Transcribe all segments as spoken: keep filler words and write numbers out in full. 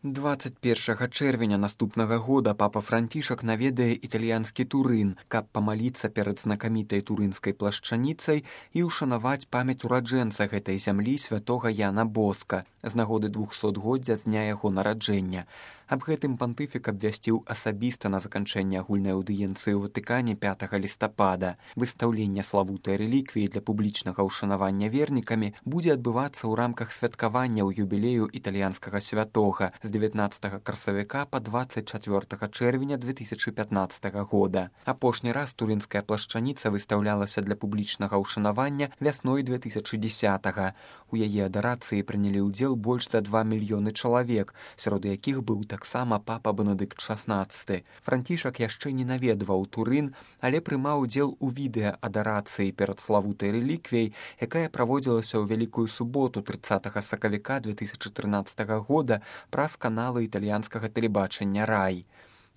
дваццаць першага чэрвеня наступнага года папа Францішак наведае італьянскі Турын, каб памаліцца перад знакамітай турынскай плашчаніцай і ўшанаваць памяць ураджэнца гэтай зямлі святога Яна Боска з нагоды двухсотгоддзя з дня яго нараджэння. Аб гэтым пантыфік абвясціў асабіста на заканчэнне агульнай аўдыенцыі ў Ватыкане пятага лістапада. Выстаўленне славутай рэліквіі для публічнага ўшанавання вернікамі будзе адбывацца ў рамках святкаванняў юбілею італьянскага святога з дзевятнаццатага красавіка па дваццаць чацвёртага чэрвеня две тысячы пятнаццатага года. Апошні раз турынская плашчаніца выстаўлялася для публічнага ўшанавання вясной две тысячы дзесятага. У яе адарацыі прынялі ўдзел больш за два мільёны чалавек, сярод якіх быў таксама папа Бенедыкт шаснаццаты. Францішак яшчэ не наведваў Турын, але прымаў удзел у відэа-адарацыі перад славутай рэліквіяй, якая праводзілася ў Вялікую суботу трыццатага сакавіка две тысячы трынаццатага года праз каналы італьянскага тэлебачання «Рай».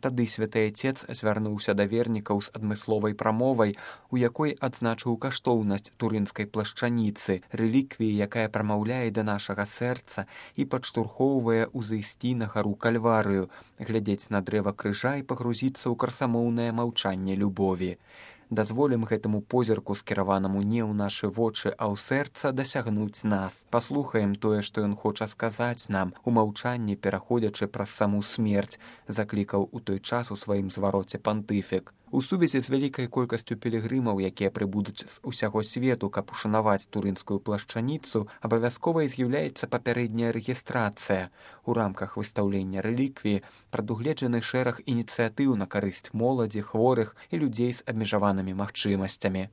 Тады святы Отец звярнуўся да вернікаў з адмысловай прамовай, у якой адзначыў каштоўнасць турынскай плашчаніцы, рэліквіі, якая прамаўляе да нашага сэрца і падштурхоўвае ўзысці на гару Кальварыю, глядзець на дрэва крыжа і пагрузіцца ў красамоўнае маўчанне любові. Дазволім гэтаму позірку, скіраванаму не ў нашы вочы, а ў сэрца, дасягнуць нас. Паслухаем тое, што ён хоча сказаць нам, у маўчанні пераходзячы праз саму смерць, заклікаў у той час у сваім звароце пантыфік. У сувязі з вялікай колькасцю пілігрымаў, якія прыбудуць з усяго свету, каб ушанаваць турынскую плашчаніцу, абавязковай з'яўляецца папярэдняя рэгістрацыя. У рамках выстаўлення рэліквіі прадугледжаны шэраг ініцыятыў на карысць моладзі, хворых і людзей з абмежаванымі магчымасцямі.